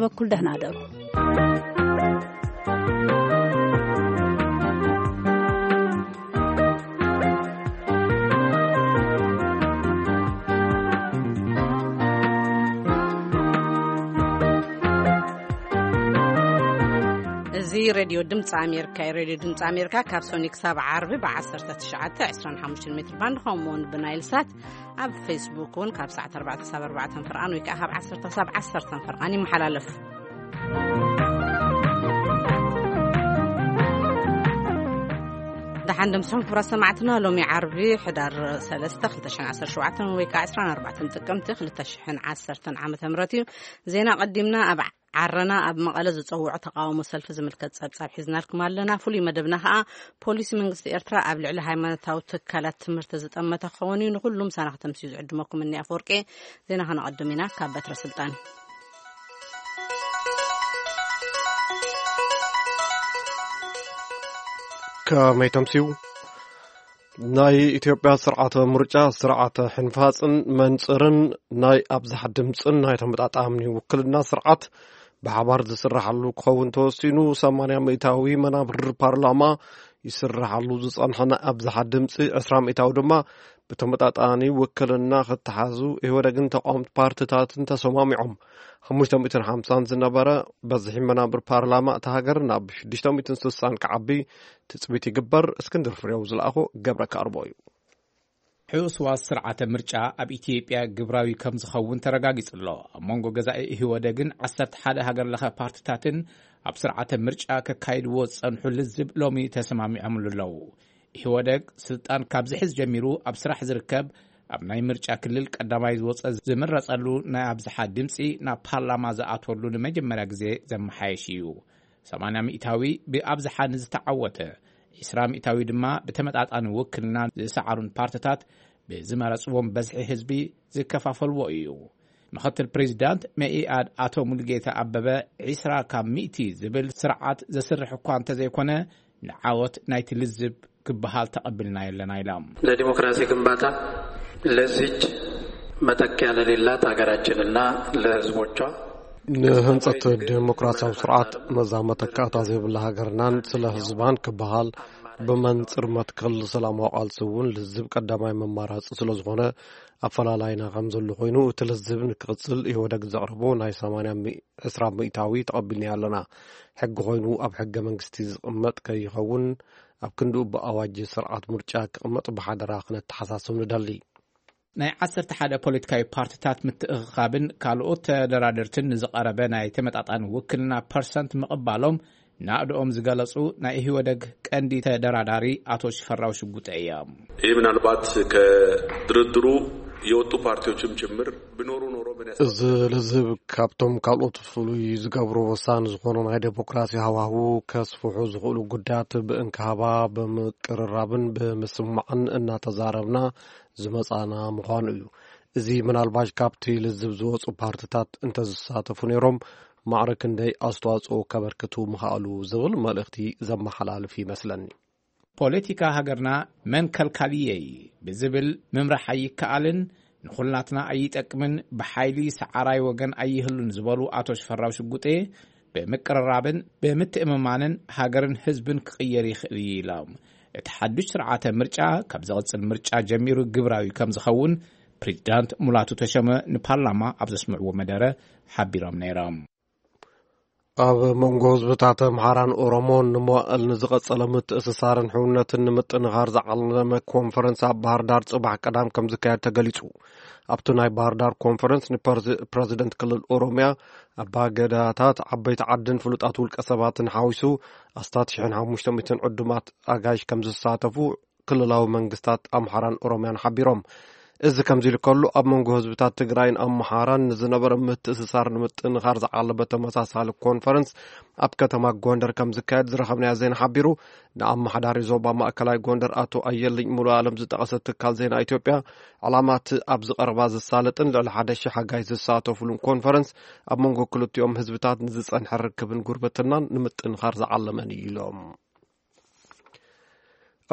በኩል ደህና ደሩ። እዚ ሬድዮ ድምፂ ኣሜሪካ እዩ። ሬድዮ ድምፂ ኣሜሪካ ካብ ሶኒ ክሳብ ዓርቢ ብ19፣ 25 ሜትር ባንድ፣ ከምኡ እውን ብናይል ሳት፣ ኣብ ፌስቡክ እውን ካብ ሰዓት ኣርባዕተ ክሳብ ኣርባዕተ ፍርቓን ወይ ከዓ ካብ ዓሰርተ ክሳብ ዓሰርተ ፍርቓን ይመሓላለፍ። ደሓን ደምስኹም ክቡራት ሰማዕትና። ሎሚ ዓርቢ ሕዳር ሰለስተ፣ ክልተ ሽሕን ዓሰርተ ሸውዓተን ወይ ከዓ ዕስራን ኣርባዕተን ጥቅምቲ ክልተ ሽሕን ዓሰርተን ዓመተ ምህረት እዩ። ዜና ቀዲምና ኣብ ዓረና ኣብ መቐለ ዝፀውዖ ተቃውሞ ሰልፊ ዝምልከት ጸብጻብ ሒዝናልኩም ኣለና። ፍሉይ መደብና ከዓ ፖሊሲ መንግስቲ ኤርትራ ኣብ ልዕሊ ሃይማኖታዊ ትካላት ትምህርቲ ዝጠመተ ክኸውን እዩ። ንኩሉ ምሳና ከተምስዩ ዝዕድመኩም እኒ ኣፈወርቂ። ዜና ከነቐድም ኢና ካብ በትረ ስልጣን። ከመይ ተምስዩ? ናይ ኢትዮጵያ ስርዓተ ምርጫ ስርዓተ ሕንፋጽን መንጽርን ናይ ኣብዝሓ ድምጽን ናይ ተመጣጣኒ ውክልና ስርዓት ብሓባር ዝስራሓሉ ክኸውን ተወሲኑ። ሰማንያ ሚእታዊ መናብር ፓርላማ ይስራሓሉ ዝጸንሐ ናይ ኣብዝሓ ድምጺ ዕስራ ሚእታዊ ድማ ብተመጣጣኒ ውክልና ክተሓዙ ኢህወደግን ተቃወምቲ ፓርትታትን ተሰማሚዖም። ሓሙሽተ ሚእትን ሓምሳን ዝነበረ በዝሒ መናብር ፓርላማ እታ ሃገር ናብ ሽዱሽተ ሚእትን ስሳን ክዓቢ ትጽቢት ይግበር። እስክንድር ፍሬው ዝለኣኾ ገብረ ካርቦ እዩ። ሕውስዋስ ስርዓተ ምርጫ ኣብ ኢትዮጵያ ግብራዊ ከም ዝኸውን ተረጋጊጹ ኣሎ። ኣብ መንጎ ገዛኢ ኢህወደግን ዓሰርተ ሓደ ሃገር ለኸ ፓርትታትን ኣብ ስርዓተ ምርጫ ከካይድዎ ዝጸንሑ ልዝብ ሎሚ ተሰማሚዖምሉ ኣለዉ። ኢህወደግ ስልጣን ካብ ዝሕዝ ጀሚሩ ኣብ ስራሕ ዝርከብ፣ ኣብ ናይ ምርጫ ክልል ቀዳማይ ዝወጸ ዝምረጸሉ ናይ ኣብዝሓ ድምጺ ናብ ፓርላማ ዝኣትወሉ ንመጀመርያ ግዜ ዘመሓየሽ እዩ። ሰማንያ ሚእታዊ ብኣብዝሓ ንዝተዓወተ፣ ዕስራ ሚእታዊ ድማ ብተመጣጣኒ ውክልና ዝሰዓሩን ፓርትታት ብዝመረጽዎም በዝሒ ህዝቢ ዝከፋፈልዎ እዩ። ምኽትል ፕሬዚዳንት መኢኣድ ኣቶ ሙሉጌታ ኣበበ፣ ዕስራ ካብ ሚእቲ ዝብል ስርዓት ዘስርሕ እኳ እንተዘይኮነ፣ ንዓወት ናይቲ ልዝብ ክበሃል ተቐቢልናዮ ኣለና ኢሎም። ለዲሞክራሲ ግንባታ ለዚች መተኪያ ለሌላት ሀገራችንና ለህዝቦቿ ንህንጸት ዴሞክራሲያዊ ስርዓት ነዛ መተካእታ ዘይብላ ሃገርናን ስለ ህዝባን ክበሃል ብመንጽር መትከል ሰላማዊ ቃልሲ እውን ልዝብ ቀዳማይ መማራጺ ስለ ዝኾነ ኣፈላላይና ከም ዘሎ ኮይኑ እቲ ልዝብ ንክቕጽል ኢህወደግ ዘቕረቦ ናይ ሰማንያ ዕስራ ሚእታዊ ተቐቢልናዮ ኣለና። ሕጊ ኮይኑ ኣብ ሕገ መንግስቲ ዝቕመጥ ከይኸውን ኣብ ክንድኡ ብኣዋጅ ስርዓት ምርጫ ክቕመጥ ብሓደራ ክነተሓሳስብ ንደሊ። ናይ ዓሰርተ ሓደ ፖለቲካዊ ፓርትታት ምትእኽኻብን ካልኦት ተደራደርትን ንዝቐረበ ናይ ተመጣጣኒ ውክልና ፐርሰንት ምቕባሎም ናእድኦም ዝገለጹ ናይ ኢህወደግ ቀንዲ ተደራዳሪ ኣቶ ሽፈራው ሽጉጠ እዮም። ይህ ምናልባት ከድርድሩ የወጡ ፓርቲዎችም ጭምር ቢኖሩ ኖሮ ምን ያስ- እዚ ልዝብ ካብቶም ካልኦት ፍሉይ ዝገብሮ ወሳኒ ዝኾኑ ናይ ዴሞክራሲ ሃዋህው ከስፍሑ ዝኽእሉ ጉዳያት ብእንክሃባ ብምቅርራብን ብምስማዕን እናተዛረብና ዝመጻና ምዃኑ እዩ። እዚ ምናልባሽ ካብቲ ልዝብ ዝወጹ ፓርትታት እንተዝሳተፉ ነይሮም ማዕረ ክንደይ ኣስተዋጽኦ ከበርክቱ ምኽኣሉ ዝብል መልእኽቲ ዘመሓላልፍ ይመስለኒ። ፖለቲካ ሃገርና መን ከልካልየይ ብዝብል ምምራሕ ኣይከኣልን፣ ንኹላትና ኣይጠቅምን፣ ብሓይሊ ሰዓራይ ወገን ኣይህሉን ዝበሉ ኣቶ ሽፈራው ሽጉጤ፣ ብምቅርራብን ብምትእምማንን ሃገርን ህዝብን ክቕየር ይኽእል እዩ ኢሎም። እቲ ሓዱሽ ስርዓተ ምርጫ ካብ ዝቕጽል ምርጫ ጀሚሩ ግብራዊ ከም ዝኸውን ፕሬዚዳንት ሙላቱ ተሸመ ንፓርላማ ኣብ ዘስምዕዎ መደረ ሓቢሮም ነይሮም። ኣብ መንጎ ህዝብታት ኣምሓራን ኦሮሞን ንመዋእል ንዝቐጸለ ምትእስሳርን ሕውነትን ንምጥንኻር ዝዓለመ ኮንፈረንስ ኣብ ባህር ዳር ጽባሕ ቀዳም ከም ዝካየድ ተገሊጹ። ኣብቲ ናይ ባህር ዳር ኮንፈረንስ ንፕረዚደንት ክልል ኦሮሚያ፣ ኣባገዳታት፣ ዓበይቲ ዓድን ፍሉጣት ውልቀ ሰባትን ሓዊሱ ኣስታት ሽሕን ሓሙሽተ ሚእትን ዕዱማት ኣጋይሽ ከም ዝሳተፉ ክልላዊ መንግስታት ኣምሓራን ኦሮምያን ሓቢሮም። እዚ ከምዚ ኢሉ ከሎ፣ ኣብ መንጎ ህዝብታት ትግራይን ኣምሓራን ንዝነበረ ምትእስሳር ንምጥንኻር ዝዓለመ ተመሳሳሊ ኮንፈረንስ ኣብ ከተማ ጎንደር ከም ዝካየድ ዝረኸብናዮ ዜና ሓቢሩ። ንኣመሓዳሪ ዞባ ማእከላይ ጎንደር ኣቶ ኣየልኝ ሙሉ ኣለም ዝጠቐሰ ትካል ዜና ኢትዮጵያ፣ ዕላማ እቲ ኣብዚ ቀረባ ዝሳለጥን ልዕሊ ሓደ ሺሕ ሓጋይ ዝሳተፉሉን ኮንፈረንስ ኣብ መንጎ ክልቲኦም ህዝብታት ንዝጸንሐ ርክብን ጉርብትናን ንምጥንኻር ዝዓለመን እዩ ኢሎም።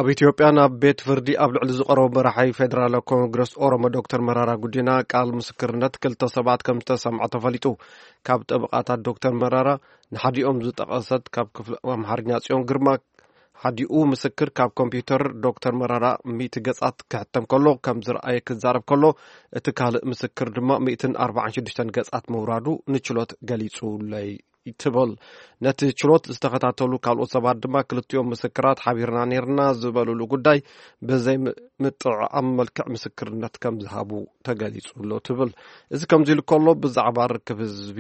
ኣብ ኢትዮጵያ ናብ ቤት ፍርዲ ኣብ ልዕሊ ዝቐረቡ መራሒ ፌዴራላዊ ኮንግረስ ኦሮሞ ዶክተር መራራ ጉዲና ቃል ምስክርነት ክልተ ሰባት ከም ዝተሰምዐ ተፈሊጡ። ካብ ጠበቓታት ዶክተር መራራ ንሓዲኦም ዝጠቐሰት ካብ ክፍሊ ኣምሓርኛ ጽዮን ግርማ፣ ሓዲኡ ምስክር ካብ ኮምፒውተር ዶክተር መራራ ሚእቲ ገጻት ክሕተም ከሎ ከም ዝረኣየ ክዛረብ ከሎ፣ እቲ ካልእ ምስክር ድማ ሚእትን ኣርባዓን ሽዱሽተን ገጻት ምውራዱ ንችሎት ገሊጹለይ ትብል። ነቲ ችሎት ዝተኸታተሉ ካልኦት ሰባት ድማ ክልቲኦም ምስክራት ሓቢርና ነርና ዝበሉሉ ጉዳይ ብዘይ ም-፣ ምጥዕዓም መልክዕ ምስክርነት ከም ዝሃቡ ተገሊጹ ኣሎ ትብል። እዚ ከምዚ ኢሉ ከሎ ብዛዕባ ርክብ ህዝቢ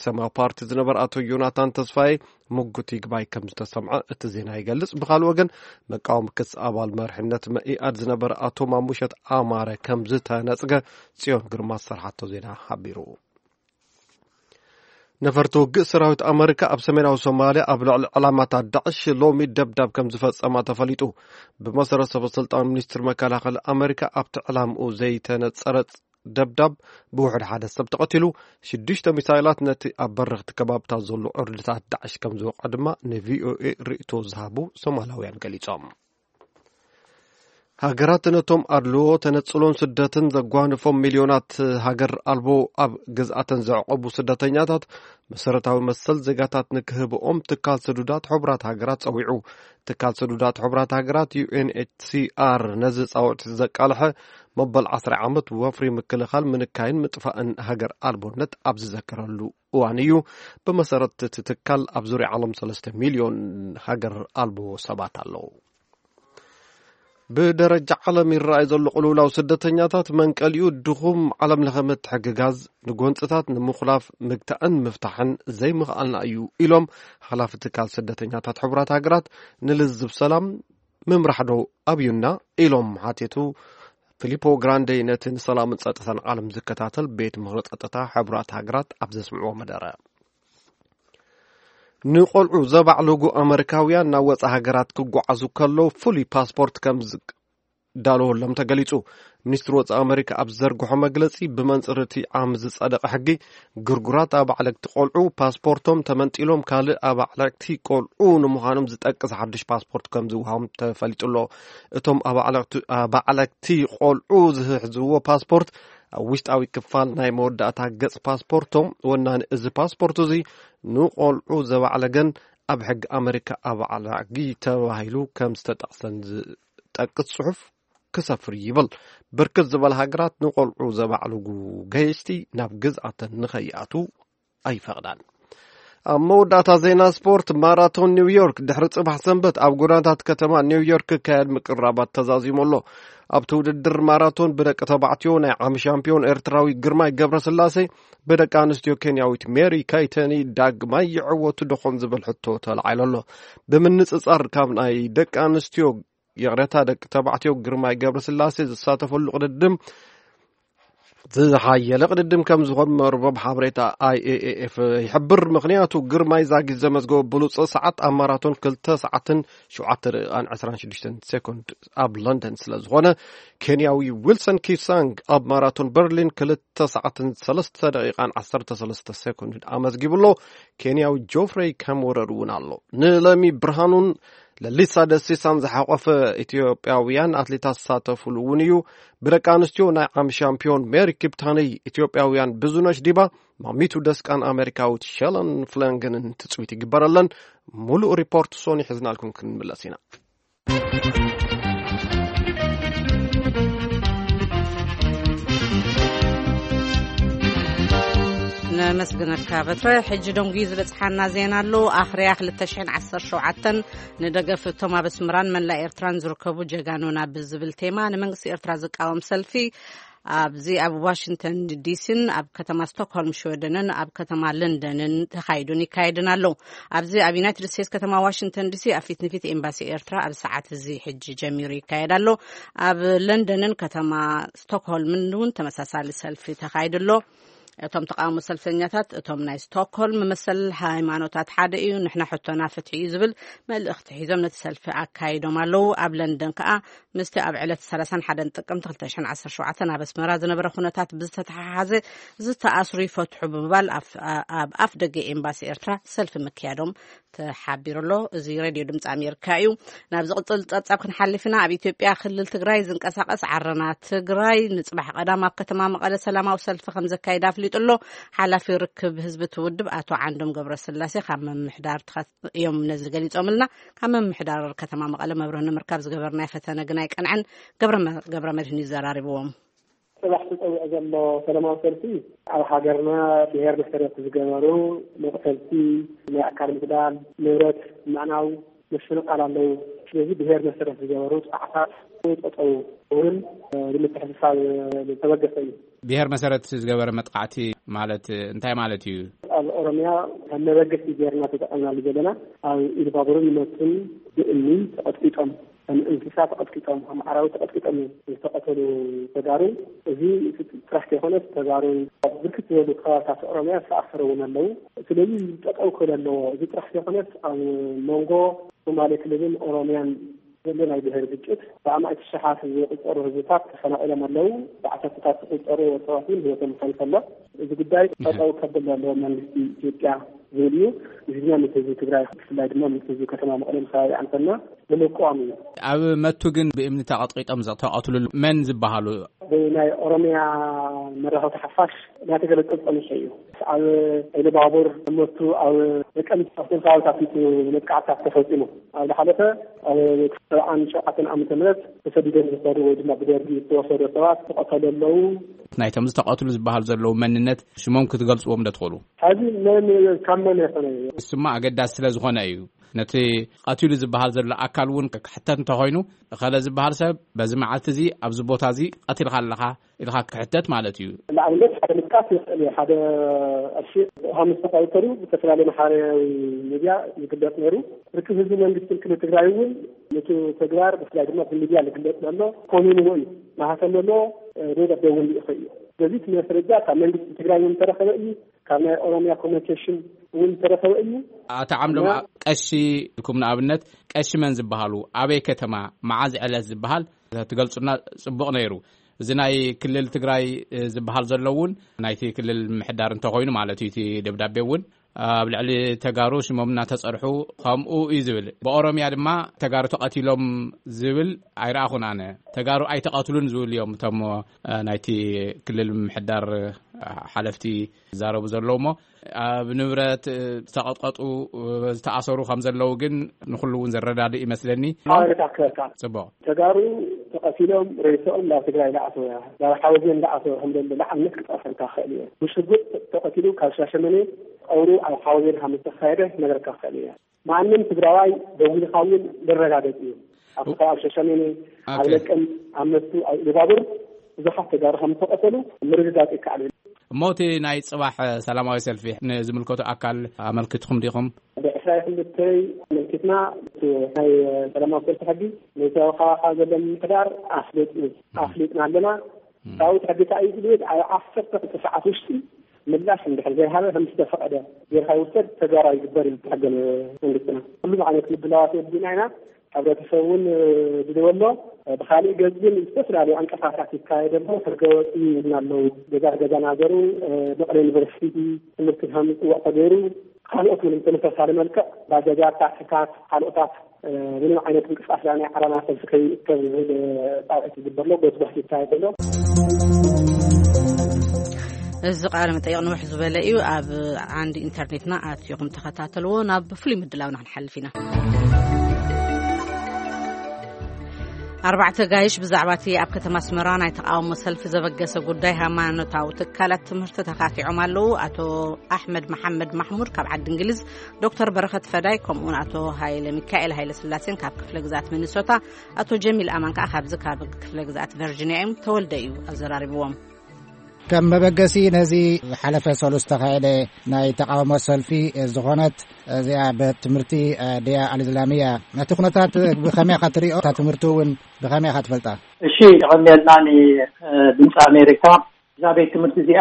ሰማያዊ ፓርቲ ዝነበረ ኣቶ ዮናታን ተስፋዬ ምጉት ይግባይ ከም ዝተሰምዐ እቲ ዜና ይገልጽ። ብኻልእ ወገን መቃወሚ ክስ ኣባል መርሕነት መኢኣድ ዝነበረ ኣቶ ማሙሸት ኣማረ ከም ዝተነጽገ ጽዮን ግርማ ዝሰርሓቶ ዜና ሓቢሩ። ነፈርቲ ውግእ ሰራዊት ኣመሪካ ኣብ ሰሜናዊ ሶማልያ ኣብ ልዕሊ ዕላማታት ዳዕሽ ሎሚ ደብዳብ ከም ዝፈጸማ ተፈሊጡ። ብመሰረት ሰበ ስልጣን ሚኒስትሪ መከላኸሊ ኣመሪካ ኣብቲ ዕላምኡ ዘይተነጸረ ደብዳብ ብውሕድ ሓደ ሰብ ተቐቲሉ፣ ሽዱሽተ ሚሳይላት ነቲ ኣብ በረኽቲ ከባብታት ዘሎ ዕርድታት ዳዕሽ ከም ዝወቕዐ ድማ ንቪኦኤ ርእይቶ ዝሃቡ ሶማላውያን ገሊጾም። ሃገራት ነቶም ኣድልዎ፣ ተነጽሎን ስደትን ዘጓንፎም ሚልዮናት ሃገር ኣልቦ ኣብ ግዝኣተን ዘዕቆቡ ስደተኛታት መሰረታዊ መሰል ዜጋታት ንክህብኦም ትካል ስዱዳት ሕቡራት ሃገራት ጸዊዑ። ትካል ስዱዳት ሕቡራት ሃገራት ዩ ኤን ኤች ሲ ኣር ነዚ ጻውዒት ዘቃልሐ መበል ዓስራ ዓመት ወፍሪ ምክልኻል ምንካይን ምጥፋእን ሃገር ኣልቦነት ኣብ ዝዘከረሉ እዋን እዩ። ብመሰረት እቲ ትካል ኣብ ዙርያ ዓለም ሰለስተ ሚልዮን ሃገር ኣልቦ ሰባት ኣለዉ። ብደረጃ ዓለም ይረኣይ ዘሎ ቅልውላው ስደተኛታት መንቀሊኡ ድኹም ዓለም ለኸ ምትሕግጋዝ፣ ንጎንጽታት ንምኹላፍ ምግታእን ምፍታሕን ዘይምኽኣልና እዩ ኢሎም ሓላፊ ትካል ስደተኛታት ሕቡራት ሃገራት ንልዝብ ሰላም ምምራሕ ዶ ኣብዩና ኢሎም ሓቲቱ። ፊሊፖ ግራንዴ ነቲ ንሰላምን ጸጥታን ዓለም ዝከታተል ቤት ምኽሪ ጸጥታ ሕቡራት ሃገራት ኣብ ዘስምዕዎ መደረ ንቆልዑ ዘባዕልጉ ኣመሪካውያን ናብ ወጻኢ ሃገራት ክጓዓዙ ከለዉ ፍሉይ ፓስፖርት ከም ዝዳለወሎም ተገሊጹ። ሚኒስትሪ ወጻኢ ኣመሪካ ኣብ ዝዘርግሖ መግለጺ፣ ብመንጽር እቲ ዓም ዝጸደቐ ሕጊ፣ ግርጉራት ኣባዕለግቲ ቆልዑ ፓስፖርቶም ተመንጢሎም ካልእ ኣባዕለግቲ ቆልዑ ንምዃኖም ዝጠቅስ ሓድሽ ፓስፖርት ከም ዝወሃቦም ተፈሊጡ ኣሎ። እቶም ኣባዕለግቲ፣ ኣባዕለግቲ ቆልዑ ዝሕዝዎ ፓስፖርት ኣብ ውሽጣዊ ክፋል ናይ መወዳእታ ገጽ ፓስፖርቶም፣ ወናኒ እዚ ፓስፖርት እዚ ንቆልዑ ዘባዕለገን ኣብ ሕጊ ኣመሪካ ኣባዕላጊ ተባሂሉ ከም ዝተጠቕሰን ዝጠቅስ ጽሑፍ ክሰፍር ይብል። ብርክት ዝበላ ሃገራት ንቆልዑ ዘባዕልጉ ገየሽቲ ናብ ግዝኣተን ንኸይኣቱ ኣይፈቕዳን። ኣብ መወዳእታ ዜና ስፖርት፣ ማራቶን ኒውዮርክ ድሕሪ ጽባሕ ሰንበት ኣብ ጎደናታት ከተማ ኒውዮርክ ክካየድ ምቅራባት ተዛዚሙ ኣሎ። ኣብቲ ውድድር ማራቶን ብደቂ ተባዕትዮ ናይ ዓሚ ሻምፒዮን ኤርትራዊ ግርማይ ገብረስላሴ ብደቂ ኣንስትዮ ኬንያዊት ሜሪ ካይተኒ ዳግማይ ይዕወቱ ዶ ኾን ዝብል ሕቶ ተላዒሉ ኣሎ። ብምንጽጻር ካብ ናይ ደቂ ኣንስትዮ፣ ይቕረታ፣ ደቂ ተባዕትዮ ግርማይ ገብረስላሴ ዝሳተፈሉ ቅድድም ዝሓየለ ቅድድም ከም ዝኾን መርበብ ሓበሬታ ኣይ ኤ ኤ ኤፍ ይሕብር። ምኽንያቱ ግርማይ ዛጊት ዘመዝገቦ ብሉጽ ሰዓት ኣብ ማራቶን ክልተ ሰዓትን ሸውዓተ ደቂቓን ዕስራን ሽዱሽተን ሴኮንድ ኣብ ለንደን ስለ ዝኾነ፣ ኬንያዊ ዊልሰን ኪፕሳንግ ኣብ ማራቶን በርሊን ክልተ ሰዓትን ሰለስተ ደቂቓን ዓሰርተ ሰለስተ ሴኮንድ ኣመዝጊቡ ኣሎ። ኬንያዊ ጆፍሬይ ካምወረር እውን ኣሎ። ንለሚ ብርሃኑን ለሊሳ ደሲሳን ዝሓቆፈ ኢትዮጵያውያን ኣትሌታት ዝሳተፉሉ እውን እዩ። ብደቂ ኣንስትዮ ናይ ዓሚ ሻምፒዮን ሜሪ ኪፕታነይ ኢትዮጵያውያን ብዙነሽ ዲባ፣ ማሚቱ ደስቃን ኣሜሪካዊት ሸለን ፍለንግንን ትጽቢት ይግበረለን። ሙሉእ ሪፖርት ሶኒ ሒዝናልኩም ክንምለስ ኢና። ነመስግነካ በትረ። ሕጂ ደንጉዩ ዝበጽሓና ዜና ኣሎ። ኣኽርያ ክልተ ሽሕን ዓሰርተ ሸውዓተን ንደገፍ እቶም ኣብ ኣስመራን መላእ ኤርትራን ዝርከቡ ጀጋኑና ብዝብል ቴማ ንመንግስቲ ኤርትራ ዝቃወም ሰልፊ ኣብዚ ኣብ ዋሽንግተን ዲሲን ኣብ ከተማ ስቶክሆልም ሽወደንን ኣብ ከተማ ለንደንን ተኻይዱን ይካየድን ኣሎ። ኣብዚ ኣብ ዩናይትድ ስቴትስ ከተማ ዋሽንግተን ዲሲ ኣብ ፊት ንፊት ኤምባሲ ኤርትራ ኣብ ሰዓት እዚ ሕጂ ጀሚሩ ይካየድ ኣሎ። ኣብ ለንደንን ከተማ ስቶክሆልምን እውን ተመሳሳሊ ሰልፊ ተኻይዱ ኣሎ። እቶም ተቓውሞ ሰልፈኛታት፣ እቶም ናይ ስቶክሆልም መሰል ሃይማኖታት ሓደ እዩ፣ ንሕና ሕቶና ፍትሒ እዩ ዝብል መልእኽቲ ሒዞም ነቲ ሰልፊ ኣካይዶም ኣለዉ። ኣብ ለንደን ከኣ ምስቲ ኣብ ዕለት ሰላሳን ሓደን ጥቅምቲ ክልተ ሽሕን ዓሰርተ ሸውዓተን ኣብ ኣስመራ ዝነበረ ኩነታት ብዝተተሓሓዘ ዝተኣስሩ ይፈትሑ ብምባል ኣብ፣ ኣብ ኣፍ ደገ ኤምባሲ ኤርትራ ሰልፊ ምክያዶም ተሓቢሩ ኣሎ። እዚ ሬድዮ ድምፂ ኣሜሪካ እዩ። ናብ ዝቕፅል ፀብፃብ ክንሓልፍ ኢና። ኣብ ኢትዮጵያ ክልል ትግራይ ዝንቀሳቐስ ዓረና ትግራይ ንፅባሕ ቀዳም ኣብ ከተማ መቐለ ሰላማዊ ሰልፊ ከም ዘካይድ ኣፍሊጡ ኣሎ። ሓላፊ ርክብ ህዝቢ እቲ ውድብ ኣቶ ዓንዶም ገብረስላሴ ካብ ምምሕዳር ትኸ-፣ እዮም ነዚ ገሊፆምልና። ካብ ምምሕዳር ከተማ መቐለ መብርህ ንምርካብ ዝገበርናዮ ፈተነ ግን ኣይቀንዐን። ገብረ መ-፣ ገብረ መድህን እዩ ዘራሪብዎም። ጽባሕ ተጸዊዑ ዘሎ ሰላማዊ ሰልፊ ኣብ ሃገርና ብሄር መሰረት ዝገበሩ መቕተልቲ፣ ናይ ኣካል ምጉዳል፣ ንብረት ምዕናው፣ ምፍንቓል ኣለዉ። ስለዚ ብሄር መሰረት ዝገበሩ ጥቕዓታት ጠጠው እውን ንምትሕስሳብ ዝተበገሰ እዩ። ብሄር መሰረት ዝገበረ መጥቃዕቲ ማለት እንታይ ማለት እዩ? ኣብ ኦሮሚያ ከም መበገሲ ጌርና ተጠቐምናሉ ዘለና ኣብ ኢሉባቡርን መቱን ብእምኒ ተቐጥቂጦም፣ ከም እንስሳ ተቐጥቂጦም፣ ከም ኣራዊት ተቐጥቂጦም እዮም ዝተቐተሉ ተጋሩ። እዚ ጥራሕ ከይኮነስ ተጋሩ ኣብ ብርክት ዝበሉ ከባብታት ኦሮሚያ ዝተኣሰሩ እውን ኣለዉ። ስለዚ እዚ ጠጠው ክብል ኣለዎ። እዚ ጥራሕ ከይኮነስ ኣብ መንጎ ሶማሌ ክልልን ኦሮሚያን ዘሎ ናይ ብሄር ግጭት ብኣማኢት ሽሓት ዝቁጸሩ ህዝብታት ተፈናቒሎም ኣለዉ። ብዓሰርተታት ዝቁጸሩ ሰባት እውን ህይወቶም ሓሊፉ ኣሎ። እዚ ጉዳይ ጠጠው ከብል ኣለዎ መንግስቲ ኢትዮጵያ ዝብል እዩ። እዚ ድማ ምስ ህዝቢ ትግራይ ብፍላይ ድማ ምስ ህዝቢ ከተማ መቐለን ከባቢኣን ኮና ንምቅዋም እዩ። ኣብ መቱ ግን ብእምኒ ተቐጥቂጦም ዝተቐትሉሉ መን ዝበሃሉ? ብናይ ኦሮሚያ መራኸብቲ ሓፋሽ እናተገለጸ ዝጸንሐ እዩ። ኣብ ኢሉባቡር፣ መቱ፣ ኣብ ደቀምት፣ ኣብቶም ከባብታት እዩ መጥቃዕትታት ተፈጺሙ። ኣብ ዝሓለፈ ኣብ ሰብዓን ሸውዓተን ዓመተ ምህረት ተሰዲዶም ዝኸዱ ወይ ድማ ብደርጊ ዝተወሰዱ ሰባት ተቐተሉ ኣለዉ። ናይቶም ዝተቐትሉ ዝበሃሉ ዘለዉ መንነት ሽሞም ክትገልጽዎም ዶ ትኽእሉ? ሕዚ መን ካብ መን ይኾነ እዩ? እሱማ ኣገዳሲ ስለ ዝኾነ እዩ። ነቲ ቀቲሉ ዝበሃል ዘሎ ኣካል እውን ክሕተት እንተኾይኑ፣ እኸለ ዝበሃል ሰብ በዚ መዓልቲ እዚ ኣብዚ ቦታ እዚ ቀቲልካ ኣለኻ ኢልካ ክሕተት ማለት እዩ። ንኣብነት ሓደ ምጥቃስ ይኽእል እዩ። ሓደ ቀሺ ሃሙስ ተቐተሉ ብዝተፈላለየ ማሕበራዊ ሚድያ ይግለጽ ነይሩ። ርክብ ህዝቢ መንግስትን ክልል ትግራይ እውን ነቲ ተግባር ብፍላይ ድማ ብሚድያ ዝግለጽ ዘሎ ኮሚንዎ እዩ። ማህተም ዘለዎ ደብዳቤ እውን ልኢኹ እዩ። ስለዚ እቲ መስረጃ ካብ መንግስቲ ትግራይ እውን ዝተረኸበ እዩ። ካብ ናይ ኦሮሚያ ኮሚኒኬሽን እውን ዝተረኸበ እዩ። ኣቶ ዓምዶም፣ እና ቀሺ ኢልኩም ንኣብነት ቀሺ መን ዝበሃሉ፣ ኣበይ ከተማ፣ መዓዝ ዕለት ዝበሃል ትገልጹና ጽቡቕ ነይሩ። እዚ ናይ ክልል ትግራይ፣ እ፣ ዝበሃል ዘሎ እውን ናይቲ ክልል ምሕዳር እንተኾይኑ ማለት እዩ። እቲ ደብዳቤ እውን ኣብ ልዕሊ ተጋሩ ሽሞም እናተጸርሑ ከምኡ እዩ ዝብል። ብኦሮሚያ ድማ ተጋሩ ተቐቲሎም ዝብል ኣይረኣኹን ኣነ። ተጋሩ ኣይተቐትሉን ዝብል እዮም እቶም፣ እ፣ ናይቲ ክልል ምሕዳር፣ እ፣ ሓለፍቲ ዝዛረቡ ዘለዉ እሞ፣ ኣብ ንብረት፣ እ፣ ዝተቐጥቀጡ፣ እ፣ ዝተኣሰሩ ከም ዘለዉ ግን ንኹሉ እውን ዘረዳድእ ይመስለኒ። ሓበሬታ ክህበካ። ጽቡቕ። ተጋሩ ተቐቲሎም ሬስኦም ናብ ትግራይ ዳኣተወ፣ ናብ ሓወዜን ዳኣተወ ከም ዘሎ ንኣብነት ክጠቕሰልካ ክኽእል እየ። ብሽጉጥ ተቐቲሉ ካብ ሻሸመኔ ቀብሩ ኣብ ሓወዜን ከም ዝተኻየደ ክነግረካ ክኽእል እየ። ማንም ትግራዋይ ደዊልካ እውን ዘረጋገጽ እዩ። ኣብቲ ከባቢ ሸሸሜኔ፣ ኣብ ኦኬ። ለቀም፣ ኣብ መስቱ፣ ኣብ ኢሉባቡር ብዙሓት ተጋሩ ከም ዝተቐተሉ ምርግጋጽ ይከኣል እዩ። እሞ እቲ ናይ ጽባሕ ሰላማዊ ሰልፊ ንዝምልከቱ ኣካል ኣመልኪትኩም ዲኹም? ብዕስራ ክልተ ኣመልኪትና፣ እቲ ናይ ሰላማዊ ሰልፊ ሕጊ ነቲ ኣብ ከባቢኻ ዘሎ ምምሕዳር ኣፍለጥ እዩ። ኣፍሊጥና ኣለና። እም። ዳዊት ሕጊ እንታይ እዩ ዝብል? ኣብ ዓሰርተ ክልተ ሰዓት ውሽጢ ምላሽ እንድሕር ዘይሃበ ከም ዝተፈቐደ ጌርካ ይውሰድ፣ ተግባራዊ ይግበር እዩ ሕገ መንግስትና። ኩሉ ዓይነት ምድላዋት ወዲእና ኢና። ሕብረተሰብ እውን፣ እ፣ ዝደወሎ፣ እ፣ ብኻሊእ ገጽ ግን ዝተፈላለዩ ዕንቅፋታት ይካየድ ኣሎ። ሕገ ወጥ እዩ ይብልና ኣለዉ። ገዛ ገዛ ናገሩ፣ እ፣ መቐለ ዩኒቨርሲቲ ትምህርቲ ከም ዝፅወዕ ተገይሩ፣ ካልኦት እውን ብተመሳሳሊ መልክዕ ባጃጃት፣ ታክሲታት፣ ካልኦታት፣ እ፣ ምንም ዓይነት ምንቅስቃስ ናይ ዓረና ሰልፊ ከይእከብ ዝብል፣ እ፣ ጻውዒት ይግበር ኣሎ፣ ጎትጓት ይካየድ ኣሎ። እዚ ቃለ መጠይቕ ንውሕ ዝበለ እዩ። ኣብ ዓንዲ ኢንተርኔትና ኣትኹም ተኸታተልዎ። ናብ ፍሉይ ምድላውና ክንሓልፍ ኢና። ኣርባዕተ ጋይሽ ብዛዕባ እቲ ኣብ ከተማ ኣስመራ ናይ ተቓውሞ ሰልፊ ዘበገሰ ጉዳይ ሃይማኖታዊ ትካላት ትምህርቲ ተኻቲዖም ኣለዉ። ኣቶ ኣሕመድ መሓመድ ማሕሙድ ካብ ዓዲ እንግሊዝ፣ ዶክተር በረኸት ፈዳይ፣ ከምኡውን ኣቶ ሃይለ ሚካኤል ሃይለ ስላሴን ካብ ክፍለ ግዛት ሚኒሶታ፣ ኣቶ ጀሚል ኣማን ከኣ ካብዚ ካብ ክፍለ ግዛት ቨርጂኒያ እዮም። ተወልደ እዩ ኣዘራሪብዎም። ከም መበገሲ ነዚ ዝሓለፈ ሰሉስ ዝተኻየደ ናይ ተቓውሞ ሰልፊ ዝኾነት እዚኣ ቤት ትምህርቲ ድያ ኣልእስላምያ፣ ነቲ ኩነታት ብኸመይ ኢኻ ትሪኦ? እታ ትምህርቲ እውን ብኸመይ ኢኻ ትፈልጣ? እሺ፣ የቐንየልና ንድምፂ ኣሜሪካ። እዛ ቤት ትምህርቲ እዚኣ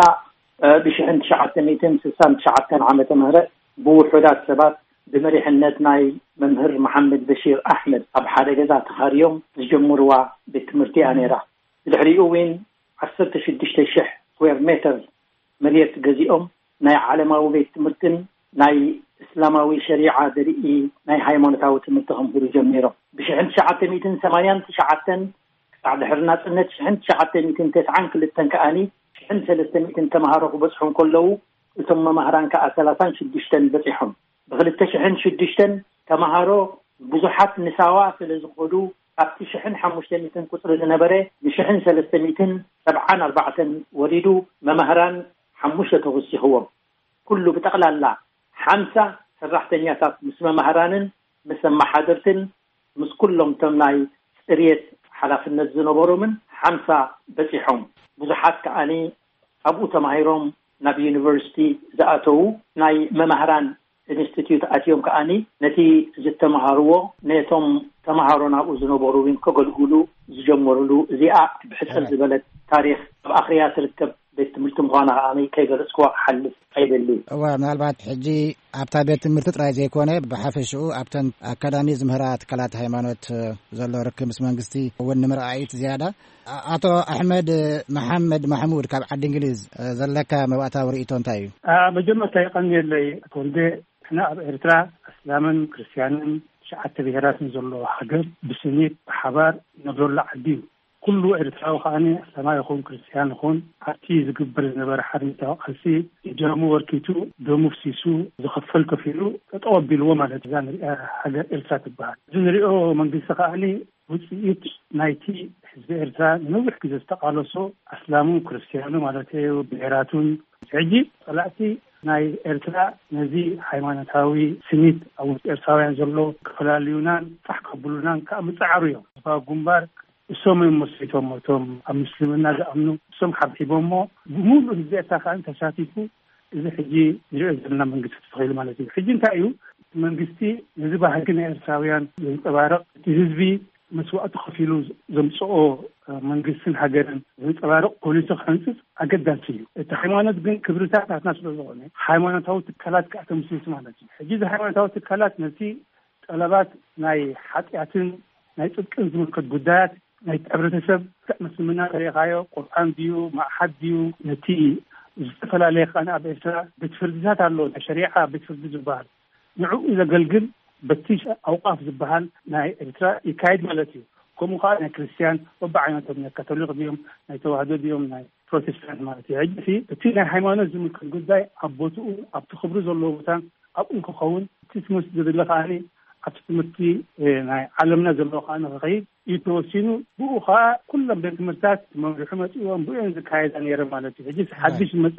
እ፣ ብ ሽሕን ትሽዓተ ሚእትን ስሳን ትሽዓተን ዓመተ ምህረት ብውሑዳት ሰባት ብመሪሕነት ናይ መምህር መሓመድ በሺር ኣሕመድ ኣብ ሓደ ገዛ ተኻርዮም ዝጀምርዋ ቤት ትምህርቲ እያ ነይራ። ብድሕሪኡ እውን ዓሰርተ ሽዱሽተ ሽሕ ስኩዌር ሜተር መሬት ገዚኦም ናይ ዓለማዊ ቤት ትምህርትን ናይ እስላማዊ ሸሪዓ ዘርኢ ናይ ሃይማኖታዊ ትምህርቲ ከምህሩ ጀሚሮም። ብ ሽሕን ትሽዓተ ሚእትን ሰማንያን ትሽዓተን ክሳዕ ድሕሪ ናጽነት ሽሕን ትሽዓተ ሚእትን ተስዓን ክልተን ከኣኒ ሽሕን ሰለስተ ሚእትን ተምሃሮ ክበጽሑ እንከለዉ፣ እቶም መማህራን ከኣ ሰላሳን ሽዱሽተን በጺሖም። ብ ክልተ ሽሕን ሽዱሽተን ተምሃሮ ብዙሓት ንሳዋ ስለ ዝኸዱ፣ ካብቲ ሽሕን ሓሙሽተ ሚእትን ቁጽሪ ዝነበረ ንሽሕን ሰለስተ ሚእትን ሰብዓን ኣርባዕተን ወሪዱ፣ መማህራን ሓሙሽተ ተወሲኽዎም። ኩሉ ብጠቕላላ ሓምሳ ሰራሕተኛታት ምስ መማህራንን ምስ ኣመሓደርትን ምስ ኩሎም እቶም ናይ ጽርየት ሓላፍነት ዝነበሮምን ሓምሳ በጺሖም። ብዙሓት ከኣኒ ኣብኡ ተማሂሮም ናብ ዩኒቨርሲቲ ዝኣተዉ፣ ናይ መማህራን ኢንስቲትዩት ኣትዮም ከኣኒ ነቲ ዝተምሃርዎ ነቶም ተምሃሮ ናብኡ ዝነበሩ እውን ከገልግሉ ዝጀመሩሉ፣ እዚኣ ብሕጽር ዝበለት ታሪኽ ኣብ ኣኽርያ ትርከብ ቤት ትምህርቲ ምዃና ከኣ ከይገለጽክዋ ክሓልፍ ኣይደልን። እወ፣ ምናልባት ሕጂ ኣብታ ቤት ትምህርቲ ጥራይ ዘይኮነ፣ ብሓፈሽኡ ኣብተን ኣካዳሚ ዝምህራ ትካላት ሃይማኖት ዘሎ ርክብ ምስ መንግስቲ እውን ንምርኣይ እዩ ዝያዳ። ኣ-፣ ኣቶ ኣሕመድ መሓመድ ማሕሙድ፣ ካብ ዓዲ እንግሊዝ ዘለካ መባእታዊ ርእይቶ እንታይ እዩ? ኣ፣ መጀመርታ የቐንየለይ ኣቶ ወልደ። ንሕና ኣብ ኤርትራ ኣስላምን ክርስትያንን ትሽዓተ ብሄራትን ዘለዎ ሃገር፣ ብስኒት ብሓባር ነብረሉ ዓዲ እዩ። ኩሉ ኤርትራዊ ከኣ ኣስላማይ ይኹን ክርስትያን ይኹን ኣብቲ ዝግበር ዝነበረ ሓርነታዊ ቃልሲ ደሙ ወርኪቱ፣ ደሙ ፍሲሱ፣ ዝኸፈል ከፊሉ ጠጠው ኣቢልዎ ማለት እዛ ንሪኣ ሃገር ኤርትራ ትበሃል። እዚ ንሪኦ መንግስቲ ከኣ ውፅኢት ናይቲ ህዝቢ ኤርትራ ንነዊሕ ግዜ ዝተቃለሶ ኣስላሙን ክርስትያኑ ማለት እዩ፣ ብሄራቱን። ሕጂ ጸላእቲ ናይ ኤርትራ ነዚ ሃይማኖታዊ ስኒት ኣብ ውስጥ ኤርትራውያን ዘሎ ክፈላልዩናን ፋሕ ከብሉናን ከኣ ምጽዓሩ እዮም። ህዝባዊ ግንባር እሶም እዮም መስሪቶም፣ እቶም ኣብ ምስልምና ዝኣምኑ እሶም ሓብሒቦሞ፣ ብምሉእ ህዝቢ ኤርትራ ከኣ ተሳቲፉ እዚ ሕጂ ንሪኦ ዘለና መንግስቲ ተተኺሉ ማለት እዩ። ሕጂ እንታይ እዩ? መንግስቲ ነዚ ባህጊ ናይ ኤርትራውያን ዘንጸባርቕ፣ እቲ ህዝቢ መስዋእቲ ከፊሉ ዘምጽኦ መንግስትን ሃገርን ዘንጸባርቕ ፖሊሲ ክሕንጽጽ ኣገዳሲ እዩ። እቲ ሃይማኖት ግን ክብርታት ናትና ስለ ዝኾነ፣ ሃይማኖታዊ ትካላት ከኣ ተምስርቱ ማለት እዩ። ሕጂ እዚ ሃይማኖታዊ ትካላት ነቲ ጠለባት ናይ ሓጢኣትን ናይ ጽድቅን ዝምልከት ጉዳያት፣ ናይ ሕብረተሰብ፣ ክዕ ምስልምና ተሪኻዮ፣ ቁርኣን ድዩ፣ ማእሓድ ድዩ፣ ነቲ ዝተፈላለየ ከኣ ኣብ ኤርትራ ቤት ፍርድታት ኣሎ፣ ናይ ሸሪዓ ቤት ፍርዲ ዝበሃል፣ ንዕኡ ዘገልግል በቲ ኣውቃፍ ዝበሃል ናይ ኤርትራ ይካየድ ማለት እዩ። ከምኡ ከኣ ናይ ክርስትያን በብዓይነቶም፣ ናይ ካቶሊክ ድዮም፣ ናይ ተዋህዶ ድዮም፣ ናይ ፕሮቴስታንት ማለት እዩ። ሕጂ እቲ ናይ ሃይማኖት ዝምልከት ጉዳይ ኣብ ቦትኡ፣ ኣብቲ ክብሪ ዘለዎ ቦታ ኣብኡ ክኸውን፣ እቲ ትምህርቲ ዘድለ ከኣ ኣብቲ ትምህርቲ፣ እ፣ ናይ ዓለምና ዘለዎ ከኣ ክኸይድ እዩ ተወሲኑ። ብኡ ከኣ ኩሎም ቤት ትምህርታት መምርሒ መጺእዎም ብኡ እየን ዝካየዳ ነይረ ማለት እዩ። ሕጂ ሓድሽ ዝመጸ